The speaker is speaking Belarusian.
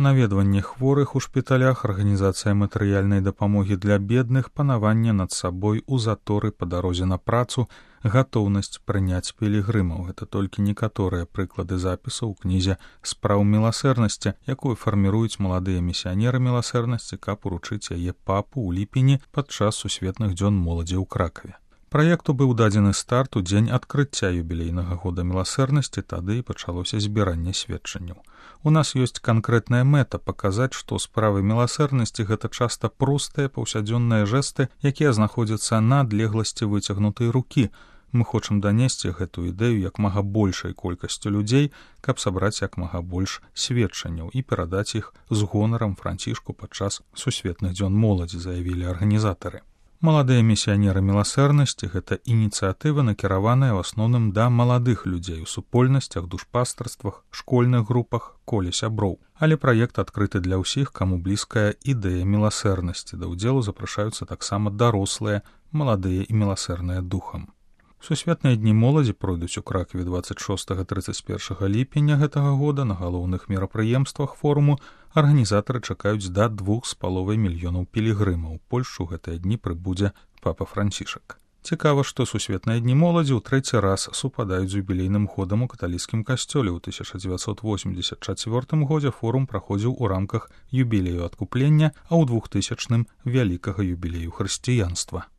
Наведванне хворых у шпіталях, арганізацыя матэрыяльнай дапамогі для бедных, панаванне над сабой у заторы па дарозе на працу, гатоўнасць прыняць пілігрымаў. Гэта толькі некаторыя прыклады запісаў у кнізе «Спраў міласэрнасці», якую фарміруюць маладыя місіянеры міласэрнасці, каб уручыць яе папу ў ліпені падчас сусветных дзён моладзі ў Кракаве. Праекту быў дадзены старт у дзень адкрыцця юбілейнага года міласэрнасці, тады і пачалося збіранне сведчанняў. У нас ёсць канкрэтная мэта паказаць, што справы міласэрнасці гэта часта простыя паўсядзённыя жэсты, якія знаходзяцца на адлегласці выцягнутай рукі. Мы хочам данесці гэту ідэю як мага большай колькасцю людзей, каб сабраць як мага больш сведчанняў і перадаць іх з гонарам Францішку падчас сусветных дзён моладзі, заявілі арганізатары. Маладыя місіянеры міласэрнасці – гэта ініцыятыва, накіраваная ў асноўным да маладых людзей у супольнасцях, душпастарствах, школьных групах, коле сяброў. Але праект адкрыты для ўсіх, каму блізкая ідэя міласэрнасці. Да ўдзелу запрашаюцца таксама дарослыя, маладыя і міласэрныя духам. Сусветныя дні моладзі пройдуць у Кракаве 26-31 ліпеня гэтага года. На галоўных мерапрыемствах форуму арганізатары чакаюць да 2,5 мільёнаў пілігрымаў. У Польшчу гэтыя дні прыбудзе папа Францішак. Цікава, што сусветныя дні моладзі ў трэці раз супадаюць з юбілейным годам у каталіцкім касцёле. У 1984 годзе форум праходзіў у рамках юбілею адкуплення, а ў 2000-м – вялікага юбілею хрысціянства.